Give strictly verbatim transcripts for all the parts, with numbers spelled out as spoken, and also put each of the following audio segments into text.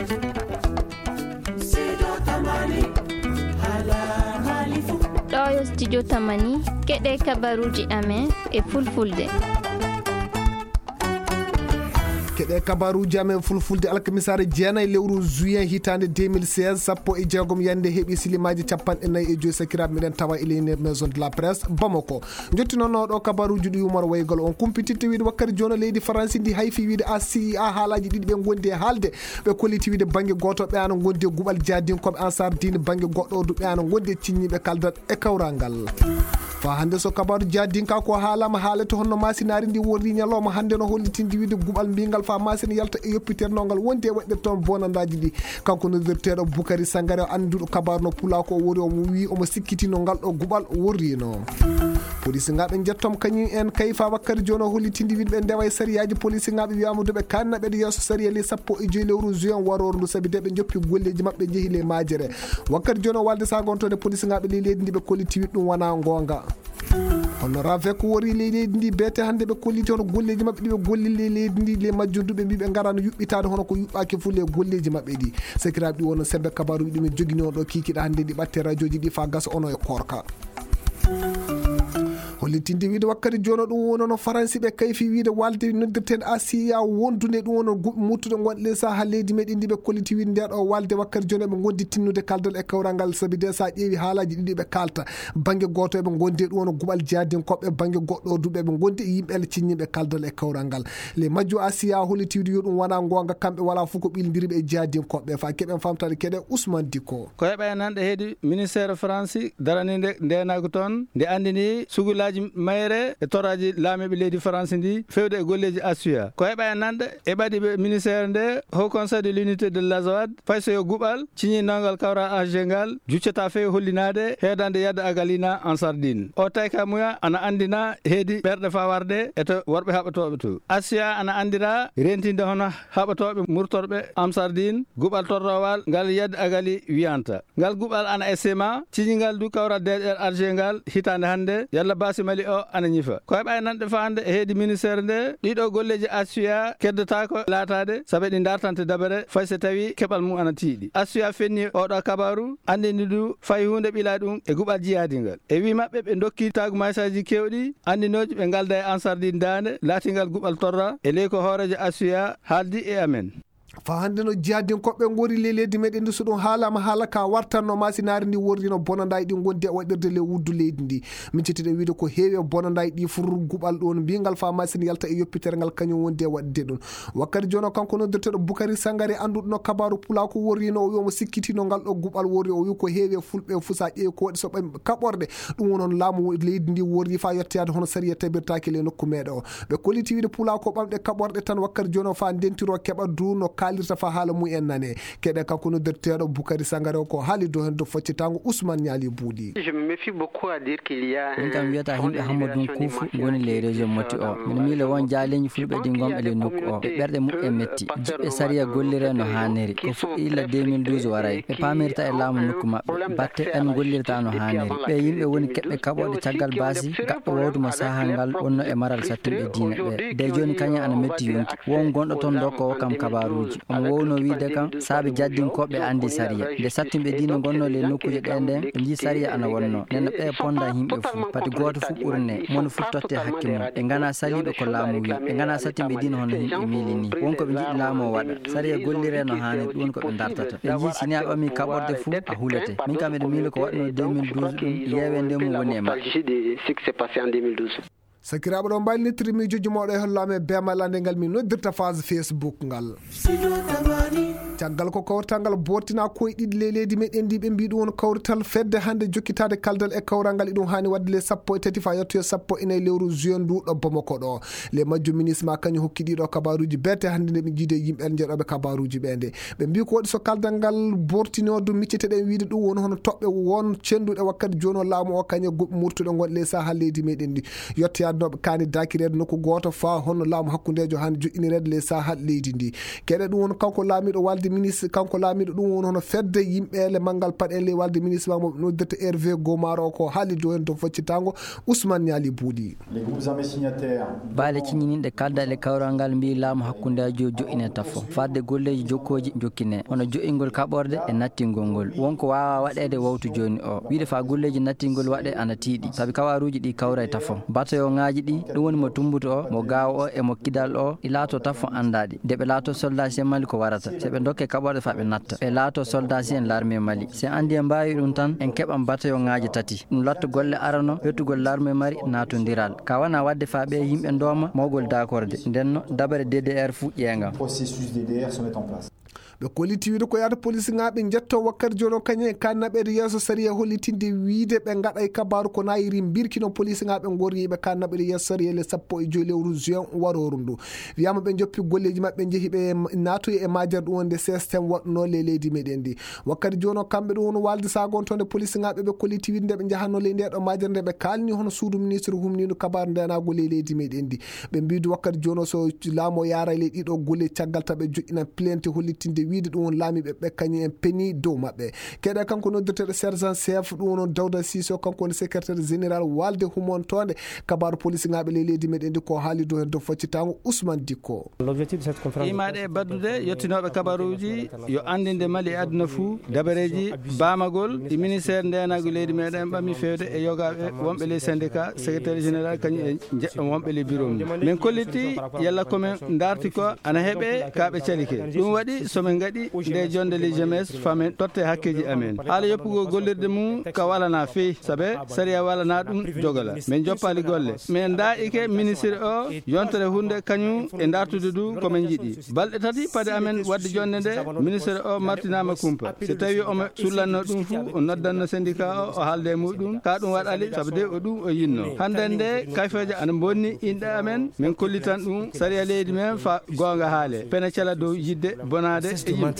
Ɗo yo studio Tamani, keɗe kabaruji amen e fulfulde. Keɗe kabaruji amen fulfulde alkamisaare jeenayi lewru juin hitaande deux mille seize, sappo e jeegom yande heɓi silimaaji capanɗe nayi e joyi sakiraaɓe meɗen tawa e leydi maison de la presse Bamako. Jottinono ɗo kabaruji ɗi yumor waygol on kumpititte wiide wakkati jono leydi Faransi ndi hayfi wiide A C I A haalaji ɗiɗi ɓe gondi e haalde. Ɓe kolliti wiide bangge goto ɓe ana gondi e guɓal jadinkoɓe Ansar Dine, bangge goɗɗo du ɓe ana gondi e cinñiɓe kaldal e kawral ngal. Fa hande so kabaru jadinka ko haalama haalete honno masinari ndi worri ñalawma hande no hollitindi wiide guɓal mbingal fa masina yalta e yoppitere no ngal wondi e waɗde toon bonandaji ɗi. Kanko noddirteɗo Bukari Sangare o annduɗo kabaru no pula ko o wori omo wi omo sikkitino ngal ɗo guɓal worrino. Polisingaɓe jettom kañum en kayfa wakkati joni o hollitindi wiɗɓe ndewa e sariyaji polisingaɓe wiyama duɓe kanna ɓeɗe yeeso sariya ley sappo e joyi lewru juin waroro ndu sabi de ɓe joppi golleji maɓɓe jeehi ley majere. Wakkati joni o walde sagontode polisingaɓe ley leydi ndi ɓe kolliti wiɗ ɗum wona gonga. Hono ravek wori ley leydi ndi beete hande ɓe kolliti hono golleji maɓɓe ɗi ɓe golli ley leydi ndi ley majjum duɓe mbiɓe garano yuɓɓitade hono ko yuɓɓaki fuu ley golleji maɓɓe ɗi. Sakiraɓe ɗi wono sembe kabaruji ɗumen jogini on ɗo kikiɗa hande ɗi ɓatte radioji ɗi fa gasa ono e korka. Hollitinde wiide wakkati jono ɗum wono no faransi ɓe kayfi wiide walde noddirten asiya wondude ɗum wono guɓe muttude gonɗe ley saha leydi meɗen ndi ɓe kolliti wiide nde ɗo walde wakkati jono ɓe gondi tinnude kaldal e kawral ngal sabi de sa ƴeewi haalaji ɗiɗi ɓe kalta. Bangge goto eɓe gondi e ɗum wono guɓal jadinkoɓe bangge goɗɗo duɓe ɓe gondi e yimɓe ele cinñiɓe kaldal e kawral ngal. Ley majju asiya holliti wiide yo ɗum wona gonga kamɓe wala fof ko ɓildiriɓe e jadinkoɓe fa keɓen famtade keɗe usman dikko. Ko heɓa e nanɗe heedi ministère faransi daraninde ndenagu toon nde andini sugulaji mayre e toraji laamiɓe leydi faransi ndi fewde e golleji assuya ko heɓa e nanɗe e ɓaɗiɓe ministère nde haut conseil de l'unité de l'azawad fay so yo guɓal ciñinangal kawra age ngal juccata fewi hollinade heedande yadde agalina en sardine o tayka muya ana andina heedi ɓerɗe fawarde e to worɓe haɓatoɓe to assuya ana andira rentinde hono haɓatoɓe murtorɓe amsardin guɓal torrowal ngal yadde agali wiyanta ngal guɓal ana e sema ciñingal du kawra deeƴer arge ngal hitande hande yalla basi mali o ana ñifa ko heɓa e nanɗe fande e heedi ministère nde ɗiɗo golleji assuya keddatako laatade saabe ɗi dartante dabere fay so tawi keɓal mum ana tiiɗi assuya fenni oɗo kabaru andini du fay hunde ɓila ɗum e guɓal jiyadi ngal e wi maɓɓe ɓe dokki tagu maysaji kewɗi andinoji ɓe ngalda e ansardin dande laatingal guɓal torra e ley ko hoorejo assuya haaldi e amen. Fa hannde no jihadinkoɓe ngori ley leydi meɗen ndi so ɗum haalama haala ka wartanno masinaari ndi worrino bonandaji ɗi gondi e waɗirde ley wuddu leydi ndi. Min cettiɗen wiide ko heewi e bonandaji ɗi fur guɓal ɗon mbingal fa masine yalta e yoppitere ngal kañum wondi e waɗde ɗum. Wakkati jono kanko noddirteɗo Bukari Sangare annduɗo no kabaru pula ko worrino o wi omo sikkitino ngal ɗo guɓal worri o wi ko heewi e fulɓe fusa ƴeewi ko waɗi so ɓe kaɓorɗe. Ɗum wonon laamu leydi ndi worri fa yettoyade hono sariya tabirtaki ley nokku meɗe o. Ɓe kolliti wiide pula ko ɓamɗe kaɓorɗe tan wakkati jono fa ndentiro keɓa du no kaalirta fa haala mum en nane. Keɗe kanko noddirteeɗo Bukari Sangare o ko haali dow hen dow faccitango Ousmane Niali Buuɗi. Je me méfie beaucoup à dire qu'il y a Min kam wiyata yimɓe hammo dun kuufu ngoni ley région moti o mino miile won jaaleñi fulɓe ɗi gonɓe ley nokku o ɓe ɓerɗe muɓɓe metti jiɓɓe sariya gollire no haaniri ko fuɗɗi illa deux mille douze waray ɓe paamirta e laamu nokku maɓɓe batte ɓen gollirta no haaniri ɓe yimɓe woni keɓɓe kaɓoɗe caggal baasi gaɗɗo wawdu mo saha ngal wonno e maral sattinɓe diina ɓe de joni kañum ana metti yonki won gonɗo toon dokkowo kam kabaruuji omo wowno wiide kam saabe jaddinkoɓe andi sariya nde sattinɓe diina gonno ley nokkuuje ɗe nden ɓe jii sariya ana wonno nden no ɓe ponda yimɓe fuu pati gooto fuu ɓurne moni fuu totte hakke mum ɓe ngana saliɓe ko laamu wi ɓe ngana sattinɓe diina hono yimɓe miili ni wonko ɓe jiɗi laamu o waɗa sariya gollire no haani ɗum ko ɓe dartata ɓe jii sini a ɓami kaɓorde fuu a hulete min kam eɗe miili ko waɗno deux mille douze ɗum yewe nde mum woni e maɓɓe. Sakiraaɓe ɗo mbaylitiri miijoji mawɗo e hollaama e beemal annde ngal min noddirta phase Facebook ngal. Caggal ko kawrital ngal bottina koye ɗiɗi ley leydi meɗen ndi ɓe mbi ɗum won kawrital fedde hannde jokkitaade kaldal e kawral ngal iɗum haani waɗde le sappo e tati fa yettoyo sappo e nayi lewru juin ndu ɗo Bamako ɗo. Le majjo ministre ma kañum hokki ɗiɗo kabaruji bete hannde nde ɓe jiide yimɓe jeeɗoɓe kabaruji ɓe nde ɓe mbi ko waɗi so kaldal ngal bortinodu micceteɗen wiide ɗum woni hono toɓɓe won cenduɗe wakkati joni o laamu o kañe goɓɓe murtuɗe gonɗe ley saha leydi meɗen ndi. Yettoyaade no ɓe kaani dakireede nokku gooto faa hono laamu hakkundeejo hannde joƴƴinireede ley saha leydi ndi. Keɗe ɗum won kanko laamiiɗo walde walde ministre, kanko laamiiɗo ɗum woni hono fedde yimɓe ele manngal paɗe ley walde ministre makko mo ɓe noddirta Hervé Gomaro, ko haali dow heen to foccitaango Ousmane Niali Bouli. Baale ciñininɗe kalda e kawral ngal mbiyi laamu hakkundeejo joƴƴine tafo. Fadde golleeji jokkooji jokkine. Hono joƴƴingol kaɓorde e nattingol ngol. Wonko waawaa waɗeede wowtu jooni o. Wiide faa golleeji nattingol waɗe ana tiiɗi. Sabi kabaruuji ɗi kawra e tafo. Batayoŋaaji ɗi, ɗum woni mo tumbuto o, mo gaawo o e mo kidal o, ɗi laato tafo anndaaɗi. Nde ɓe laato soldaasiyen Mali ko warata. Se ɓe dokke kaɓorde faa ɓe natta. Ɓe laato soldaasiyen larme Mali. Se anndi en mbaawi ɗum tan, en keɓan batayoŋaaji tati. Ɗum latto golle arano, hetugol larme Mali naatondiral. Ka wona waɗde faa ɓe yimɓe ndooma mawgol daakorde. Nden no dabare D D R fuɗƴeenga. Ɓe kolliti wiide ko yaata polisigaaɓe njetto wakkati jooni o kañe e ka naɓeede yeeso sariya hollitinde wiide ɓe ngaɗay kabaaru ko naayiri mbirkino polisigaaɓe ngorriiɓe ka naɓeede yeeso sariya le sappo e joy lewru juin warooru ndu. Wiyaama ɓe njoppi golleeji maɓɓe njehi ɓe naatoyi e majere ɗum wonde système waɗuno le leydi meɗen ndi. Wakkati jooni o kamɓe ɗum woni walde sagontonde polisigaaɓe ɓe kolliti wiide nde ɓe njahanno ley nde ɗo majere nde ɓe kaalni hono suudu ministre humniiɗo kabaaru ndenaagu ley leydi meɗen ndi. Ɓe mbiidi wakkati jooni o so laamu o yaaray ley ɗiɗo golle caggal taɓe joƴƴinan plainte hollitinde wiide ɗum woni laamiiɓe ɓe kañum en peni dow maɓɓe. Keɗe kanko noddirteeɗo sergent chef ɗum woni Dawda Siso, kanko woni secrétaire général walde humontoonde kabaaru polisigaaɓe ley leydi meɗen ndi ko haali dow heen dow foccitaango Ousmane Dikko. Imaade e baddude yottinooɓe kabaruuji yo anndinde Mali e aduna fuu dabareeji baamagol ɗi ministère ndeenaagu leydi meɗen ɓami feewde e yogaaɓe wonɓe ley syndicat secrétaire général kañum e njeɗɗo wonɓe ley bureau mum. Min kolliti yalla ko men ndaarti ko ana heɓe ka ɓe calike. Ɗum waɗi so min ngaɗi nde jonde ley jemes faa men totte hakkeeji amen. Haala yoppugol gollirde mum ka walanaa fey, sabe sariya walanaa ɗum jogola. Min joppaali golle. Min ndaa'ike ministre o yontere hunde kañum e ndaartude du ko min njiɗi. Balɗe tati pade amen waɗde jonde nde, ministre o martinaama kumpa. So tawi omo sullanno ɗum fuu, o noddanno syndicat o, o haalda e muɗum. Ka ɗum waɗali, sabu de o ɗum o yinno. Hannde nde, kayfeeje ana mbonni inɗe amen, min kollitan ɗum sariya leydi men fa goonga haale. Pene cala dow yidde bonaade e yimɓe.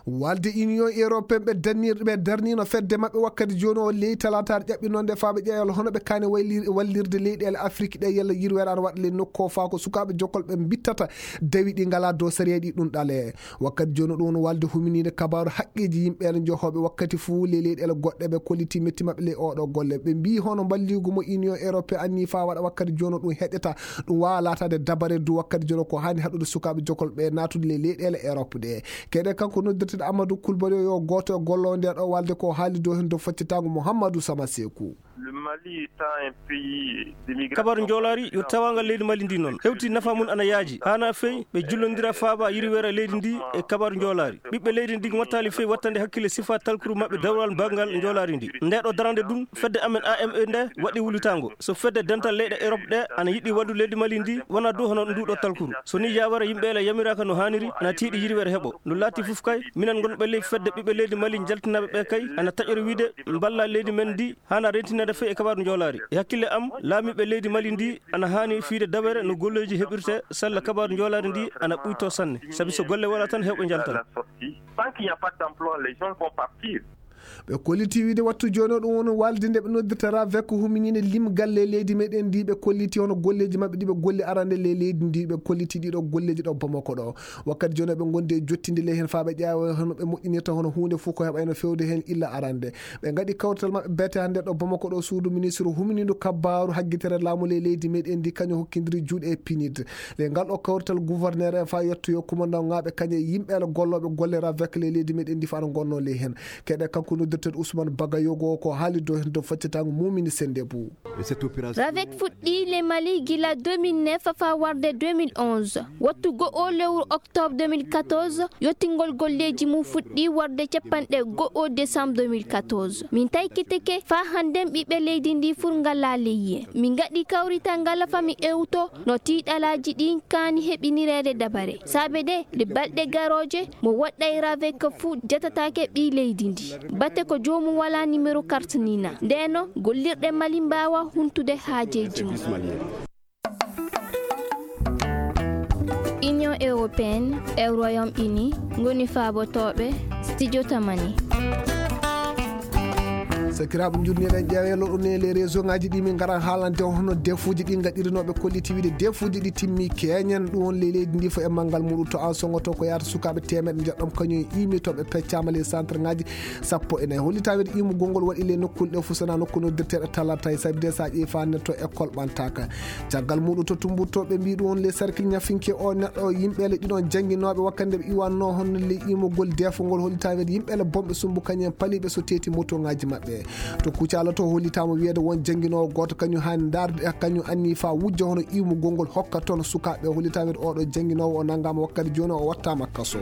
Walde Union Européenne ɓe darnir-, ɓe darnino fedde maɓɓe wakkati jooni o ley talaataare ƴaɓɓi noon nde faaɓe ƴeewal hono ɓe kaani waylir-, wallirde leyɗeele Afrik ɗe yalla yirweere ana waɗa ley nokku o faa ko sukaaɓe jokkol ɓe mbittata dawi ɗi ngalaa dow sariya ɗi ɗum ɗale. Wakkati jooni ɗum woni walde huminiinde kabaaru haqqeeji yimɓe ene johooɓe wakkati fuu ley leyɗeele goɗɗe ɓe kolliti metti maɓɓe ley oɗo golle. Ɓe mbii hono mballiigu mo Union Européenne anni faa waɗa wakkati jooni ɗum heƴata ɗum waawa laataade dabare du wakkati jooni ko haani haɗude sukaaɓe jokkol ɓe naatude ley leyɗeele Europe ɗe. Keɗe kanko noddirteeɗo Amadou Coulibaly yo gooto e golloowo nde ɗo walde ko haali dow heen dow faccitaango Mouhamadou Sama Sekou. Le Mali étant un pays d'immigration. Kabaru njoolaari yo tawaangal leydi Mali ndi noon. Hewti nafa mum ana yaaji. Haana fey ɓe jullondira faaba yirweere leydi ndi e kabaru njoolaari. Ɓiɓɓe leydi ndi mottaali fey wattande hakkille sifa talkuru maɓɓe dawral banngal njoolaari ndi. Nde ɗo darande ɗum, fedde amen A M E nde waɗi wullitaango. So fedde dental leyɗe Europe ɗe ana yiɗi wallude leydi Mali ndi, wona dow hono ndu ɗo talkuru. So ni yawere yimɓe ele yamiraaka no haaniri, ana tiiɗi yirweere heɓo. No laati fof kay, minen ngonɓe ley fedde ɓiɓɓe leydi Mali jaltinaaɓe ɓe kay, ana taƴori wiide mballa leydi men ndi, haana rentinaade fey e kabaaru njoolaari. E hakkille am, laamiiɓe leydi Mali ndi ana haani fiyde dabere no golleeji heɓirte sella kabaaru njoolaari ndi ana ɓuytoo sanne. Sabi so golle wala tan, heewɓe njaltan. Tant qu'il n'y a pas d'emploi, les gens vont partir. Ɓe kolliti wiide wattu jooni o ɗum woni walde nde ɓe noddirta ravec huminiinde limgal ley leydi meɗen ndi. Ɓe kolliti hono golleeji maɓɓe ɗi ɓe golli arande ley leydi ndi, ɓe kolliti ɗiɗo golleeji ɗo Bamako ɗo. Wakkati jooni ɓe ngondi e jottinde ley heen faa ɓe ƴeewa hono ɓe moƴƴinirta hono huunde fof ko heɓayno fewde heen illa arande. Ɓe ngaɗi kawrital maɓɓe beete hannde ɗo Bamako ɗo suudu ministre huminiindu kabbaaru haggitere laamu ley leydi meɗen ndi kañum hokkindiri juuɗe e pinit. Ley ngal ɗo kawrital gouverneur en faa yettoyo kumandaŋaaɓe kañum e yimɓe ele gollooɓe golle ravec ley leydi meɗen ndi faa no ngonnoo ley heen. Keɗe kanko noddirteeɗo Ousmane Bagayogo ko haali dow heen dow faccitaango Mumini Sendebou. Ravec fuɗɗii le Mali gila deux mille neuf faa warde deux mille onze. Wattu go'o lewru octobre deux mille quatorze, yottingol golleeji mum fuɗɗii warde capanɗe go'o décembre deux mille quatorze. Min taykitike faa hannden ɓiɓɓe leydi ndi fur ngalaa leyye. Min ngaɗi kawrital ngal faa mi ewto no tiiɗalaaji ɗin kaani heɓinireede dabare. Saabe de, ɗe balɗe garooje, mo waɗɗay ravec fuu jatataake ɓii leydi ndi. Bate ko joomum walaa numéro carte ni na. Ndeno, gollirɗe Mali mbaawa huntude haajeeji mum. Union Européenne e Royaume-Uni ngoni faabotooɓe Studio Tamani. Sakiraaɓe, njurniɗen ƴeeweelo ɗo ne les réseau ngaji ɗi min ngaran haalande on hono defuuji ɗi ngaɗirinooɓe kolliti wiide defuuji ɗi timmi keñen. Ɗum won ley leydi ndi fof e manngal muɗum. To an songoto ko yaata sukaaɓe teemeɗe njoɗɗam kañum e imi to ɓe peccaama ley centre ngaji sappo e nayi. Hollita wiide imugol ngol waɗi ley nokkuule ɗe fof, sona nokku noddirteeɗo talata e sabi de sa ƴeewi fa ne to école ɓantaka. Caggal muɗum to tumburtoɓe mbi ɗum won ley cercle ñafinke o neɗɗo yimɓeele ɗiɗon jannginooɓe wakkande ɓe iwanno hono ley imugol defo ngol hollita wiide yimɓeele bonɓe sumbu kañum en paliɓe so teeti moto ngaji maɓɓe. To Kucala to hollitama wiyeede won jannginoowo gooto kañum hani darde e kañum anni fa wujja hono imugol ngol hokka toon sukaaɓe. Hollita wiyeede oɗo jannginoowo o nanngama wakkati jooni o wattama kaso.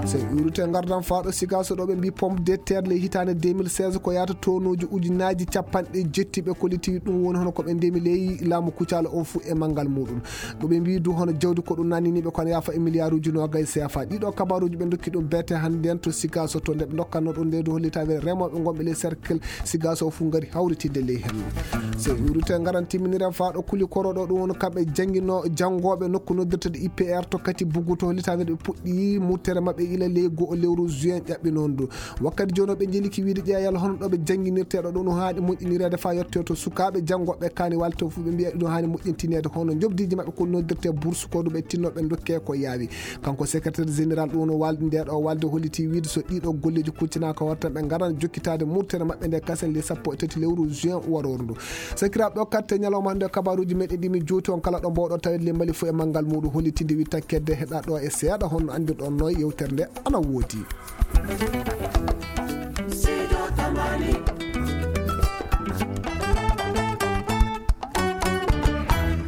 So iwrite ngardan faaɗo Sikaso ɗo ɓe mbi pomme de terre ley hitaande deux mille seize ko yaata tonuuji ujunnaaji capanɗe jetti ɓe kolliti ɗum woni hono ko ɓe ndemi ley laamu Kucala o fuu e manngal muɗum. Ɗo ɓe mbi du hono jawdi ko ɗum nanniniɓe kono yaafa e milliarduji noogay C F A. Ɗiɗo kabaruji ɓe dokki ɗum bete hannde en to Sikaso to nde ɓe dokkanno ɗum nde du hollita wiyeede remooɓe ngonɓe ley cercle Sikaso fuu ngari hawritinde ley hen. So iwrite ngaran timminiren faaɗo kuli koro ɗo ɗum woni kamɓe janngino janngooɓe nokku noddirteɗo I P R to kati bugu to hollita wiyeede ɓe puɗɗi muttere maɓɓe ila ley go'o lewru juin ƴaɓɓi noon du. Wakkati jooni o ɓe njeliki wiide ƴeeyal hono ɗo ɓe jannginirteeɗo ɗo no haani moƴƴinireede faa yottee to sukaaɓe janngooɓe kaani walte o fuu ɓe mbiya ɗum haani moƴƴintineede hono njobdiiji maɓɓe ko noddirtee bourse ko ɗum ɓe tinno ɓe dokkee ko yaawi. Kanko secrétaire général ɗum no walde nde ɗo walde holliti wiide so ɗiɗo golleeji kuccinaaka hoore tan ɓe ngaran jokkitaade murtere maɓɓe nde kasen le sappo e tati lewru juin waroru ndu. Sakiraaɓe o katte ñalawma hannde kabaruuji meɗen ɗi min juuti on kala ɗo mbawɗo tawede le mbali fof e manngal muɗum hollitinde wittakkede heɗa ɗo e seeɗa honno anndirɗon no yewtere nde ana woodi.